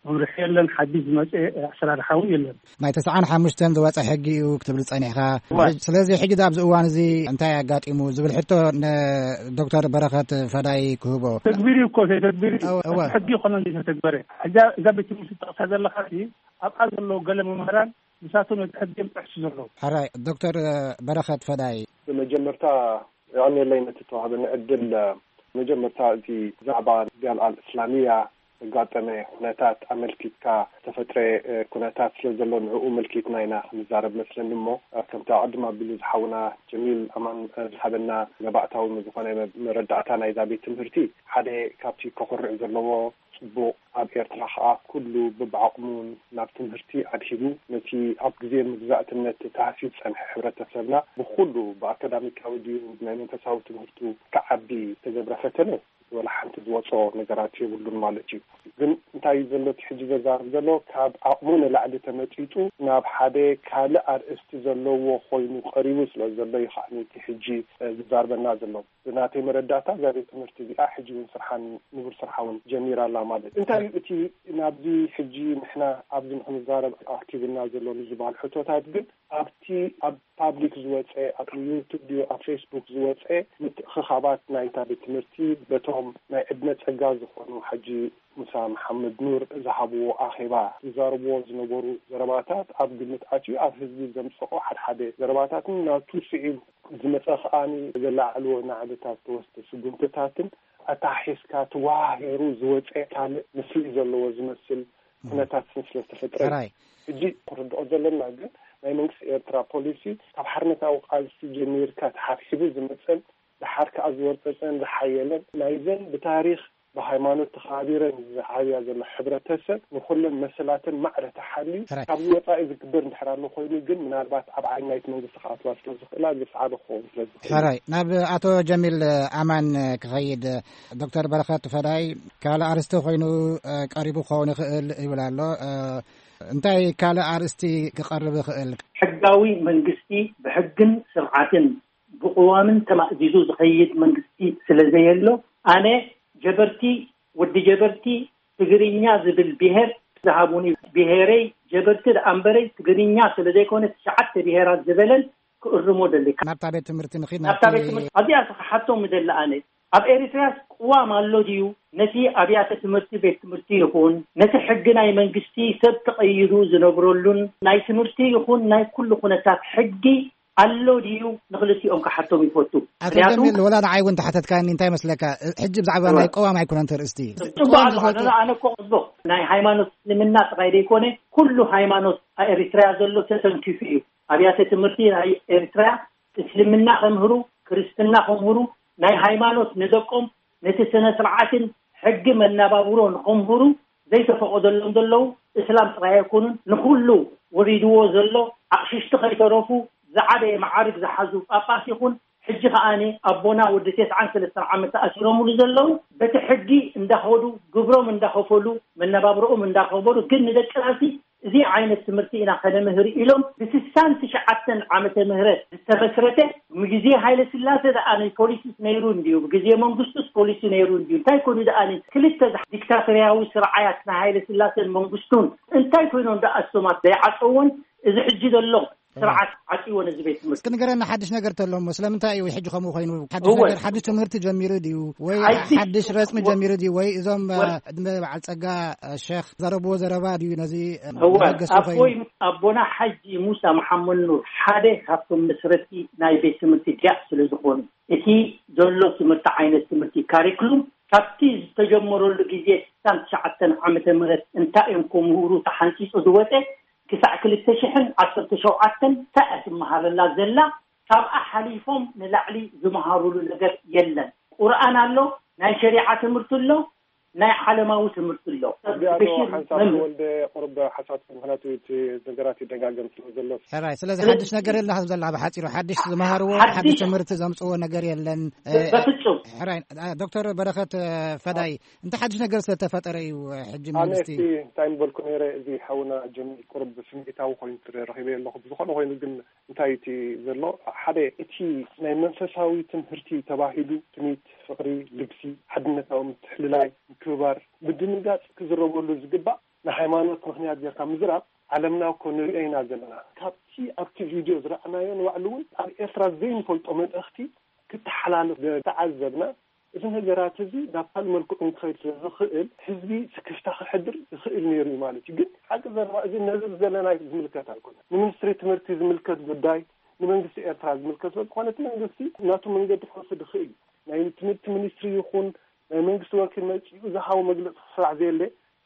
መምርሒ የለን፣ ሓድሽ ዝመጸ ኣሰራርሓ እውን የለን። ናይ ተስዓን ሓሙሽተን ዝወጸ ሕጊ እዩ ክትብል ጸኒሕካ። እወ። ስለዚ ሕጂ ኣብዚ እዋን እዚ እንታይ ኣጋጢሙ ዝብል ሕቶ ንዶክተር በረኸት ፈዳይ ክህቦ። ተግቢር እዩ እኮ፣ ዘይተግቢር እዩ። እወ፣ እወ። ሕጊ ይኮነ ዘይተተግበረ። እዛ፣ እዛ ቤት ትምህርቲ ትጠቕሳ ዘለኻ ሲ ኣብኣ ዘለዉ ገለ መምህራን ንሳቶም ነቲ ሕጊ እዮም ጥሕሱ ዘለዉ። ሕራይ፣ ዶክተር በረኸት ፈዳይ። ብመጀመርታ የቐንየለይ ነቲ ተዋህበኒ ዕድል። መጀመርታ እቲ ብዛዕባ ጃልኣ ኣልእስላሚያ ዘጋጠመ ኩነታት ኣመልኪትካ ዝተፈጥረ፣ እ፣ ኩነታት ስለ ዘሎ ንዕኡ መልኪትና ኢና ክንዛረብ መስለኒ እሞ፣ እ፣ ከምቲ ኣቐድም ኣቢሉ ዝሓውና ጀሚል ኣማን፣ እ፣ ዝሃበና መባእታዊ ዝኾነ መ-፣ መረዳእታ ናይዛ ቤት ትምህርቲ ሓደ ካብቲ ከኹርዕ ዘለዎ ጽቡቕ፣ ኣብ ኤርትራ ከኣ ኩሉ ብብዓቕሙ ናብ ትምህርቲ ኣድሂቡ፣ ነቲ ኣብ ግዜ መግዛእትነት ተታህስዩ ዝጸንሐ ሕብረተሰብና ብኹሉ ብኣካዳሚካዊ ድዩ ብናይ መንፈሳዊ ትምህርቱ ክዓቢ ዝተገብረ ፈተነ ወላ ሓንቲ ዝወጾ ነገራት የብሉን ማለት እዩ። ግን እንታይ እዩ ዘሎ እቲ ሕጂ ዘዛርብ ዘሎ፣ ካብ ዓቕሙ ንላዕሊ ተመጺጡ ናብ ሓደ ካልእ ኣርእስቲ ዘለዎ ኮይኑ ቀሪቡ ስለ ዘሎ እዩ ከኣ እቲ ሕጂ፣ እ፣ ዝዛርበና ዘሎ። ብናተይ መረዳእታ እዛ ቤት ትምህርቲ እዚኣ ሕጂ እውን ስርሓን ንቡር ስርሓ እውን ጀሚራ ኣላ ማለት እዩ። እንታይ እዩ እቲ ናብዚ ሕጂ ንሕና ኣብዚ ንክንዛረብ ኣርኪብና ዘሎ ንዝበሃል ሕቶታት ግን ኣብቲ ኣብ ፓብሊክ ዝወፀ፣ ኣብ ዩቱብ ድዩ ኣብ ፌስቡክ ዝወፀ ምትእኽኻባት ናይታ ቤት ትምህርቲ በቶም ናይ ዕድመ ፀጋ ዝኾኑ ሓጂ ሙሳ መሓመድ ኑር ዝሃብዎ ኣኼባ ዝዛረብዎ ዝነበሩ ዘረባታት ኣብ ግምት ኣትዩ ኣብ ህዝቢ ዘምፀኦ ሓድሓደ ዘረባታትን ናቱ ስዒቡ ዝመፀ ከኣ ዘለዓዕልዎ ናዕብታት ተወስደ ስጉምትታትን ኣተሓሒዝካ ተዋሃሂሩ ዝወፀ ካልእ ምስሊ ዘለዎ ዝመስል ኩነታት ስለ ዝተፈጥረ እዩ። ሕራይ። ሕጂ ክንርድኦ ዘለና ግን ናይ መንግስቲ ኤርትራ ፖሊሲ ካብ ሓርነታዊ ቃልሲ ጀሚርካ ተሓብሒቡ ዝመፀን ደሓር ከኣ ዝወርፀፀን ዝሓየለን ናይዘን ብታሪኽ ብሃይማኖት ተኸባቢረን ዝዓብያ ዘሎ ሕብረተሰብ ንኹለን መሰላተን ማዕረ ተሓልዩ ሕራይ። ካብዚ ወፃኢ ዝግበር እንድሕር ኣሎ ኮይኑ ግን ምናልባት ኣብ ዓይኒ ናይቲ መንግስቲ ክኣትዋ ስለ ዝኽእላ ዝሰዓበ ክኸውን ስለ ዝኽእል ሕራይ። ናብ ኣቶ ጀሚል ኣማን ክኸይድ። ዶክተር በረኸት ፈዳይ ካልእ ኣርስቲ ኮይኑ ቀሪቡ ክኸውን ይኽእል ይብል ኣሎ። እንታይ ካልእ ኣርእስቲ ክቐርብ ይኽእል? ሕጋዊ መንግስቲ ብሕግን ስርዓትን ብቅዋምን ተማእዚዙ ዝኸይድ መንግስቲ ስለ ዘየሎ ኣነ ጀበርቲ ወዲ ጀበርቲ ትግርኛ ዝብል ብሄር ዝሃቡኒ ብሄረይ ጀበርቲ ደኣ እምበረይ ትግርኛ ስለ ዘይኮነ ትሽዓተ ብሄራት ዝበለን ክእርሞ ደሊ። ናብታ ቤት ትምህርቲ ንኺድ ናብታ ቤት ትምህርቲ ኣብዚኣ ክሓቶም ደሊ ኣነ ኣብ ኤሪትርያስ ቅዋም ኣሎ ድዩ? ነቲ ኣብያተ ትምህርቲ ቤት ትምህርቲ ይኹን ነቲ ሕጊ ናይ መንግስቲ ሰብ ተቐይዱ ዝነብረሉን ናይ ትምህርቲ ይኹን ናይ ኩሉ ኩነታት ሕጊ ኣሎ ድዩ ንክልቲኦም ክሓቶም ይፈቱ። ኣቶ ምክንያቱ ጀሚል ወላ ንዓይ እውን ተሓተትካኒ እንታይ መስለካ? ሕጂ ብዛዕባ እወ። ናይ ቅዋም ኣይኮነን ተርእስቲ። ጽቡቅ ኣሎ ኣነ እኮ ጽቡቅ ናይ ሃይማኖት እስልምና ጥራይ ዘይኮነ ኩሉ ሃይማኖት ኣብ ኤሪትርያ ዘሎ ተተንኪፉ እዩ። ኣብያተ ትምህርቲ ናይ ኤሪትርያ እስልምና ከምህሩ ክርስትና ከምህሩ ናይ ሃይማኖት ንደቆም ነቲ ስነ ስርዓትን ሕጊ መናባብሮ ንኸምህሩ ዘይተፈቐደሎም ዘለዉ እስላም ጥራይ ኣይኮኑን ንኹሉ ወሪድዎ ዘሎ ኣቕሽሽቲ ከይተረፉ ዝዓበየ መዓርግ ዝሓዙ ጳጳስ ይኹን ሕጂ ከኣኒ ኣቦና ወዲ ተስዓን ሰለስተን ዓመት ተኣሲሮምሉ ዘለዉ በቲ ሕጊ እንዳኸዱ ግብሮም እንዳኸፈሉ መነባብሮኦም እንዳኸበሩ ግን ንደቂ ቃልሲ እዚ ዓይነት ትምህርቲ ኢና ከነምህር ኢሎም ብስሳን ትሽዓተን ዓመተ ምህረት ዝተመስረተ ብግዜ ሃይለ ስላሴ ደኣ ናይ ፖሊሲስ ነይሩ እንድዩ ብግዜ መንግስቱስ ፖሊሲ ነይሩ እንድዩ እንታይ ኮይኑ ደኣ ክልተ ዲክታቶርያዊ ስርዓያት ናይ ሃይለ ስላሴን መንግስቱን እንታይ ኮይኖም ደኣ እሶማት ዘይዓፀዎን እዚ ሕጂ ዘሎ ስርዓት ዓፂዎ ነዚ ቤት ትምህርቲ እስኪ ንገረና ሓድሽ ነገር ተሎሞ ስለምንታይ እዩ ሕጂ ከምኡ ኮይኑ ሓድሽ እወ። ነገር ሓድሽ ትምህርቲ ጀሚሩ ድዩ ወይ ሓድሽ ሓድሽ ረፅሚ ወ- ጀሚሩ ድዩ ወይ እዞም ወ- ዕድመ በዓል ፀጋ ሸክ ዘረብዎ ዘረባ ድዩ ነዚ እወ መበገሲ ኮይኑ ኣቦይ ኣቦና ሓጂ ሙሳ መሓመድ ኑር ሓደ ካብቶም መስረቲ ናይ ቤት ትምህርቲ ዲያቅ ስለ ዝኾኑ እቲ ዘሎ ትምህርቲ ዓይነት ትምህርቲ ካሪክሉም ካብቲ ዝተጀመረሉ ግዜ ስሳን ትሽዓተን ዓመተ ምህረት እንታይ እዮም ክምህሩ ተሓንፂፁ ዝወፀ ክሳዕ ክልተ ሽሕን ዓሰርተ ሸውዓተን እንታይ እያ ትመሃረላ ዘላ ካብኣ ሓሊፎም ንላዕሊ ዝመሃሩሉ ነገር የለን ቁርኣን ኣሎ ናይ ሸሪዓ ትምህርቲ ኣሎ ናይ ዓለማዊ ትምህርቲ ኣሎ እዚኣ ዶ ሓንሳብ ተወልደ ቁሩብ ሓሳብ ምክንያቱ እቲ ነገራት ይደጋገም ስለ ዘሎ ሕራይ ስለዚ ሓድሽ ነገር የለ ከም ዘላ ብሓፂሩ ሓድሽ ዝመሃርዎ ሓድሽ ትምህርቲ ዘምፅዎ ነገር የለን በፍፁም ሕራይ ዶክተር በረኸት ፈዳይ እንተ ሓድሽ ነገር ስለተፈጠረ እዩ ሕጂ ኣነ መንግስቲ እስቲ እንታይ ምበልኩ ነይረ እዚ ሓውና ጀሚል ቁሩብ ስምዒታዊ ኮይኑ ረኺበ ኣለኹ ብዝኾነ ኮይኑ ግን እንታይ እቲ ዘሎ ሓደ እቲ ናይ መንፈሳዊ ትምህርቲ ተባሂሉ ትምኒት ፍቕሪ ልግሲ ሓድነታዊ ምትሕልላይ ምክብባር ምድንጋፅ ክዝረበሉ ዝግባእ ንሃይማኖት ምኽንያት ጌርካ ምዝራብ ዓለምና እኮ ንሪኦ ኢና ዘለና ካብቲ ኣብቲ ቪድዮ ዝረኣናዮ ንባዕሉ እውን ኣብ ኤርትራ ዘይንፈልጦ መልእኽቲ ክተሓላልፍ ዝተዓዘብና እዚ ነገራት እዚ ናብ ካልእ መልክዑ ክኸይድ ስለ ዝኽእል ህዝቢ ስክፍታ ክሕድር ይኽእል ነይሩ እዩ ማለት እዩ። ግን ሓቂ ዘረባ እዚ ነዚ ዘለና ዝምልከት ኣይኮነን። ንሚኒስትሪ ትምህርቲ ዝምልከት ጉዳይ ንመንግስቲ ኤርትራ ዝምልከት ስለ ዝኾነ እቲ መንግስቲ ናቱ መንገዲ ክወስድ ይኽእል እዩ። ናይ ትምህርቲ ሚኒስትሪ ይኹን ናይ መንግስቲ ወኪል መፂኡ ዝሃቦ መግለፂ ክስራዕ ዘየለ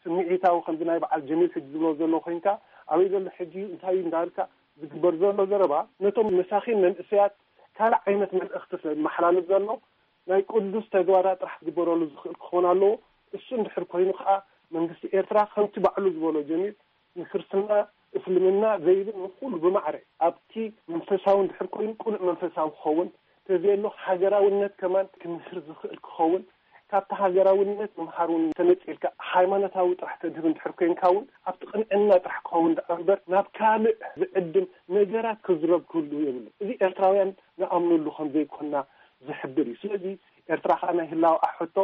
ስምዒታዊ ከምዚ ናይ በዓል ጀሚል ሕጂ ዝብሎ ዘሎ ኮይንካ ኣበይ ዘሎ ሕጂ እንታይ እዩ እንዳበልካ ዝግበር ዘሎ ዘረባ ነቶም መሳኺን መንእሰያት ካልእ ዓይነት መልእኽቲ ስለ ዝመሓላልፍ ዘሎ ናይ ቅዱስ ተግባራት ጥራሕ ክግበረሉ ዝኽእል ክኸውን ኣለዎ። እሱ እንድሕር ኮይኑ ከዓ መንግስቲ ኤርትራ ከምቲ ባዕሉ ዝበሎ ጀሚር ንክርስትና እስልምና ዘይብል ንኩሉ ብማዕረ ኣብቲ መንፈሳዊ እንድሕር ኮይኑ ቅኑዕ መንፈሳዊ ክኸውን ተዘየሎ ሃገራውነት ከማን ክምህር ዝኽእል ክኸውን ካብቲ ሃገራውነት ምምሃር እውን ተነፂልካ ሃይማኖታዊ ጥራሕ ተድህብ እንድሕር ኮይንካ እውን ኣብቲ ቅንዕና ጥራሕ ክኸውን ደኣ እምበር ናብ ካልእ ዝዕድም ነገራት ክዝረብ ክህሉ የብሉ። እዚ ኤርትራውያን ንኣምነሉ ከም ዘይኮና ዝሕብር እዩ። ስለዚ ኤርትራ ከዓ ናይ ህላወኣ ሕቶ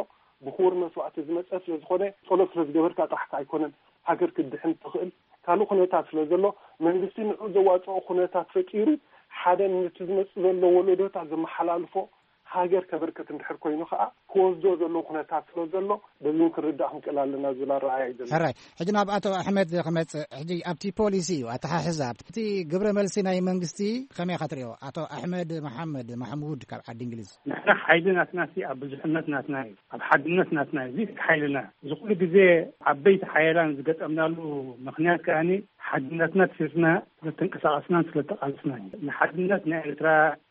ብክቡር መስዋእቲ ዝመፀ ስለ ዝኾነ ጸሎት ስለ ዝገበርካ ጥራሕ ከዓ ኣይኮነን ሃገር ክትድሕን ትኽእል። ካልእ ኩነታት ስለ ዘሎ መንግስቲ ንዑ ዘዋፅኦ ኩነታት ፈጢሩ ሓደ ነቲ ዝመፅእ ዘሎ ወለዶታት ዘመሓላልፎ ሃገር ከበርከት እንድሕር ኮይኑ ከዓ ክወስዶ ዘለዎ ኩነታት ስለ ዘሎ በዚ እውን ክንርዳእ ክንክእል ኣለና ዝብል ኣረኣእያ እዩ ዘሎ። ሕራይ፣ ሕጂ ናብ ኣቶ ኣሕመድ ክመጽእ። ሕጂ ኣብቲ ፖሊሲ እዩ ኣተሓሕዛ ኣብቲ ግብረ መልሲ ናይ መንግስቲ ከመይ ኢኻ ትሪኦ? ኣቶ ኣሕመድ መሓመድ ማሕሙድ ካብ ዓዲ እንግሊዝ። ንሕና ሓይሊ ናትና ሲ ኣብ ብዙሕነት ናትና እዩ፣ ኣብ ሓድነት ናትና እዩ። እዚ ሓይልና እዚ ኩሉ ግዜ ዓበይቲ ሓያላን ዝገጠምናሉ ምኽንያት ከኣኒ ሓድነትና ትሲርና ስለተንቀሳቐስናን ስለተቓለስናን እዩ። ንሓድነት ናይ ኤርትራ፣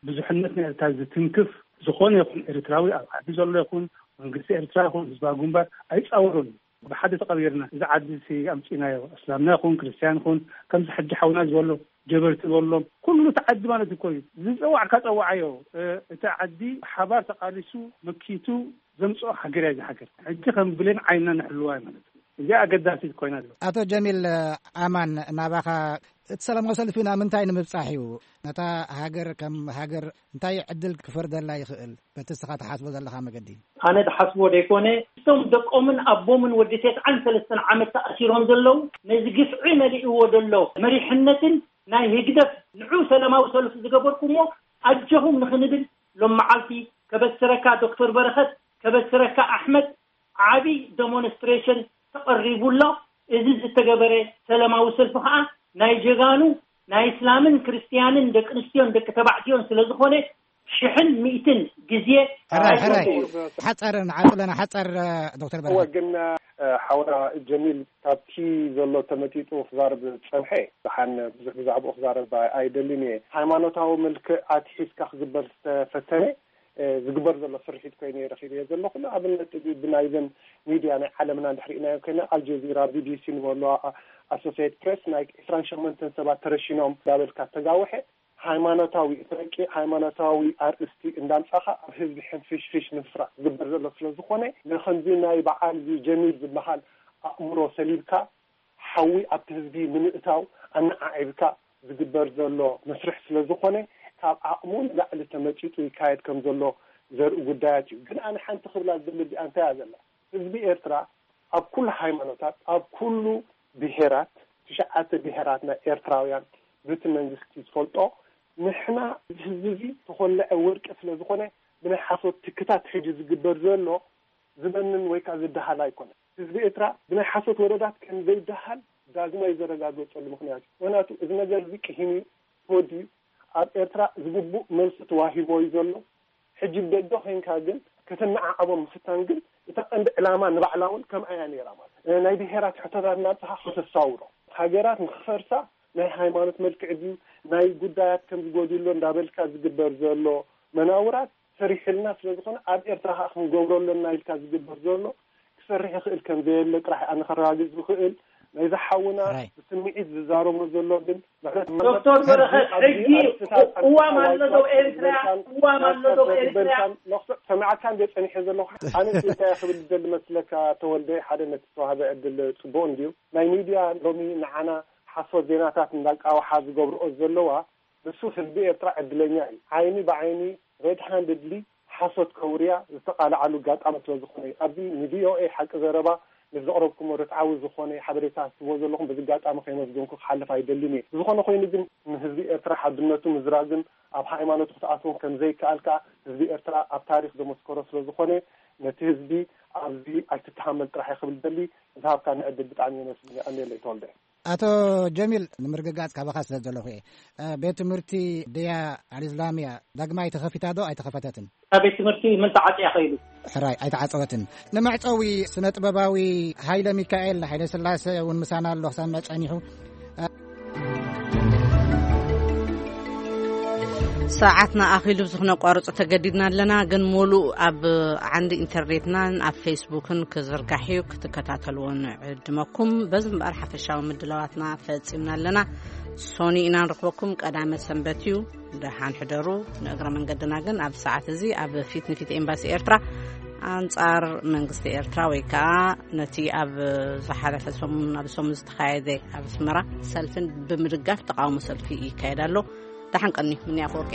ብዙሕነት ናይ ኤርትራ ዝትንክፍ ዝኾነ ይኹን ኤርትራዊ፣ ኣብ ዓዲ ዘሎ ይኹን መንግስቲ ኤርትራ ይኹን ህዝባዊ ግንባር ኣይጻወሩን። ብሓደ ተቐቢርና እዚ ዓዲ ሲ ኣምጺናዮ፣ እስላምና ይኹን ክርስትያን ይኹን ከምዚ ሕጂ ሓውና ዝበሎ ጀበርቲ ዝበሎም ኩሉ እቲ ዓዲ ማለት እኮ እዩ። ዝጸዋዕካ ጸዋዓዮ። እ፣ እቲ ዓዲ ሓባር ተቓሊሱ መኪቱ ዘምጽኦ ሃገር እያ። እዚ ሃገር ሕጂ ከም ብሌን ዓይንና ንሕልዋ ማለት እዩ። እዚ ኣገዳሲት ኮይና ኣሎ። ኣቶ ጀሚል ኣማን፣ ናባኻ፣ እቲ ሰላማዊ ሰልፊ ናብ ምንታይ ንምብጻሕ እዩ? ነታ ሃገር ከም ሃገር እንታይ ዕድል ክፈርደላ ይኽእል? በቲ እስኻ ትሓስቦ ዘለኻ መገዲ። ኣነ ዝሓስቦ ዘይኮነ፣ እቶም ደቆምን ኣቦምን ወዲ ተስዓን ሰለስተን ዓመት ተኣሲሮም ዘለዉ፣ ነዚ ግፍዒ መሊእዎ ዘሎ መሪሕነትን ናይ ህግደፍ ንዑ ሰላማዊ ሰልፊ ዝገበርኩሞ ኣጆኹም ንኽንብል ሎም መዓልቲ ከበስረካ ዶክተር በረኸት፣ ከበስረካ ኣሕመድ፣ ዓቢ ደሞንስትሬሽን ተቐሪቡ ኣሎ። እዚ ዝተገበረ ሰላማዊ ሰልፊ ከዓ ናይ ጀጋኑ ናይ እስላምን ክርስትያንን ደቂ ኣንስትዮን ደቂ ተባዕትዮን ስለ ዝኾነ ሽሕን ሚእትን ግዜ ሕራይ፣ ሕራይ። ሓፀር ንዓፅለና፣ ሓፀር፣ ዶክተር እወ፣ በረኸት። ግን፣ እ፣ ሓውና ጀሚል ካብቲ ዘሎ ተመጢጡ ክዛረብ ዝፀንሐ፣ ደሓን ብዙሕ ብዛዕባኡ ክዛረብ ኣይደልን እየ። ሃይማኖታዊ መልክዕ ኣትሒዝካ ክግበር ዝተፈተነ፣ እ፣ ዝግበር ዘሎ ስርሒት ኮይኑ እየ ረኺበዮ ዘለኹ። ንኣብነት፣ ብናይዘን ሚድያ ናይ ዓለምና እንድሕር ርኢናዮ ኮይና፣ ኣልጀዚራ፣ ቢቢሲ ንበሎ፣ ኣ-፣ ኣሶሲየትድ ፕሬስ፣ ናይ ዕስራን ሸሞንተን ሰባት ተረሺኖም እንዳበልካ ተጋውሐ፣ ሃይማኖታዊ፣ እቲ ረቂቕ ሃይማኖታዊ ኣርእስቲ እንዳምጻኻ ኣብ ህዝቢ ሕንፍሽፍሽ ንምፍራስ ዝግበር ዘሎ ስለ ዝኾነ፣ ንኸምዚ ናይ በዓል እዚ ጀሚል ዝበሃል ኣእምሮ ሰሊብካ ሓዊ ኣብቲ ህዝቢ ንምእታው ኣነዓዒብካ ዝግበር ዘሎ መስርሕ ስለ ዝኾነ፣ ካብ ዓቕሙ ንላዕሊ ተመጺጡ ይካየድ ከም ዘሎ ዘርኢ ጉዳያት እዩ። ግን ኣነ ሓንቲ ክብላ ዝደሊ እዚኣ እንታይ እያ ዘላ? ህዝቢ ኤርትራ ኣብ ኩሉ ሃይማኖታት፣ ኣብ ኩሉ ብሄራት፣ ትሽዓተ ብሄራት ናይ ኤርትራውያን፣ በቲ መንግስቲ ዝፈልጦ፣ ንሕና እዚ ህዝቢ እዚ ተኾለዐ ወርቂ ስለ ዝኾነ፣ ብናይ ሓሶት ትክታት ሕጂ ዝግበር ዘሎ ዝበንን ወይ ከዓ ዝደሃል ኣይኮነን። ህዝቢ ኤርትራ ብናይ ሓሶት ወረዳት ከም ዘይደሃል ዳግማይ ዘረጋገጸሉ ምኽንያት እዩ። ምኽንያቱ እዚ ነገር እዚ ቅሂም እዩ፣ ተወዲኡ፣ ኣብ ኤርትራ ዝግቡእ መልሲ ተዋሂቦ እዩ ዘሎ። ሕጂ ብደገ ኮይንካ ግን ከተነዓዕቦ ምፍታን ግን እታ ቀንዲ ዕላማ ንባዕላ እውን ከምኣ እያ ነይራ ማለት እዩ። ናይ ብሄራት ሕቶታት እናምጻኻ ከተሳውሮ፣ ሃገራት ንኽፈርሳ ናይ ሃይማኖት መልክዕ ድዩ፣ ናይ ጉዳያት ከም ዝጎድሎ እንዳበልካ ዝግበር ዘሎ መናውራት ሰሪሕልና ስለ ዝኾነ ኣብ ኤርትራ ከዓ ክንገብሮ ኣለና ኢልካ ዝግበር ዘሎ ክሰርሕ ይኽእል ከም ዘየለ ጥራሕ ኣነ ከረጋግጽ ዝኽእል። ናይዚ ሓውና ራይ። ብስምዒት ዝዛረቦ ዘሎ ግን ምሕረት ዶክተር በረኸት፣ ኣብዚ ሕጂ ኣርእስታት እዋም ኣሎ ዶ ኣርእስታት ኤርትራ? ዝበልካን እዋም ኣሎ ዶ ማስተር ኤርትራ? ዝበልካን መኽሱዕ ሰሚዓካ እንደ ጸኒሐ ዘለኹ ኣነ እንታይ ክብል ዝደሊ መስለካ ተወልደ ሓደ ነቲ ዝተዋህበ ዕድል ጽቡቕ እንድዩ። ናይ ሚድያ ሎሚ ንዓና ሓሶት ዜናታት እንዳቃውሓ ዝገብርኦ ዘለዋ ንሱ ህዝቢ ኤርትራ ዕድለኛ እዩ። ዓይኒ ብዓይኒ ሬድ ሃንድድሊ ሓሶት ከውርያ ዝተቓልዓሉ ኣጋጣሚ ስለ ዝኾነ እዩ። ኣብዚ ንቪኦኤ ሓቂ ዘረባ ምስ ዘቕረብኩሞ ርትዓዊ ዝኾነ ሓበሬታ ትህብዎ ዘለኹም በዚ ኣጋጣሚ ከይመስገንኩ ክሓልፍ ኣይደልን እየ። ብዝኾነ ኮይኑ ግን ንህዝቢ ኤርትራ ሓድነቱ ምዝራግን ኣብ ሃይማኖቱ ክትኣትዎም ከም ዘይከኣል ከኣ ህዝቢ ኤርትራ ኣብ ታሪኽ ዘመስከሮ ስለ ዝኾነ ነቲ ህዝቢ ኣብዚ ኣይትተሃመል ጥራሕ እየ ክብል ደሊ። ዝሃብካኒ ዕድል ብጣዕሚ የመስግን። ኣሜለይ ተወልደ። ኣቶ ጀሚል፣ ንምርግጋጽ ካባኻ ስለ ዘለኹ እየ። እ፣ ቤት ትምህርቲ ድያ ኣልእስላምያ ዳግማይ ተኸፊታ ዶ ኣይተኸፈተትን? እታ ቤት ትምህርቲ ምን ተዓጽያ ኸይዱ? ሕራይ፣ ኣይተዓጸወትን። ንመዕጸዊ ስነ ጥበባዊ ሃይለ ሚካኤል ሃይለ ስላሴ እውን ምሳና ኣሎ፣ ክሰምዕ ጸኒሑ። ሰዓትና ኣኺሉ፣ እዚ ክነቋርጾ ተገዲድና ኣለና፣ ግን ሙሉእ ኣብ ዓንዲ ኢንተርኔትናን ኣብ ፌስቡክን ክዝርጋሕ እዩ፣ ክትከታተልዎ ንዕድመኩም። በዚ እምበኣር ሓፈሻዊ ምድላዋትና ፈጺምና ኣለና። ሶኒ ኢና ንረኽበኩም፣ ቀዳመ ሰንበት እዩ። ደሓን ሕደሩ። ንእግረ መንገድና ግን ኣብ ሰዓት እዚ ኣብ ፊት ንፊት ኤምባሲ ኤርትራ ኣንጻር መንግስቲ ኤርትራ ወይ ከኣ ነቲ ኣብ ዝሓለፈ ሰሙን፣ ኣብ ሰሙን ዝተኻየደ ኣብ ኣስመራ ሰልፍን ብምድጋፍ ተቃውሞ ሰልፊ ይካየድ ኣሎ። ደሓን ቀኒ፣ ምንያ ኣፈወርቂ።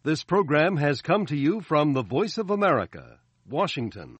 This program has come to you from the Voice of America, Washington.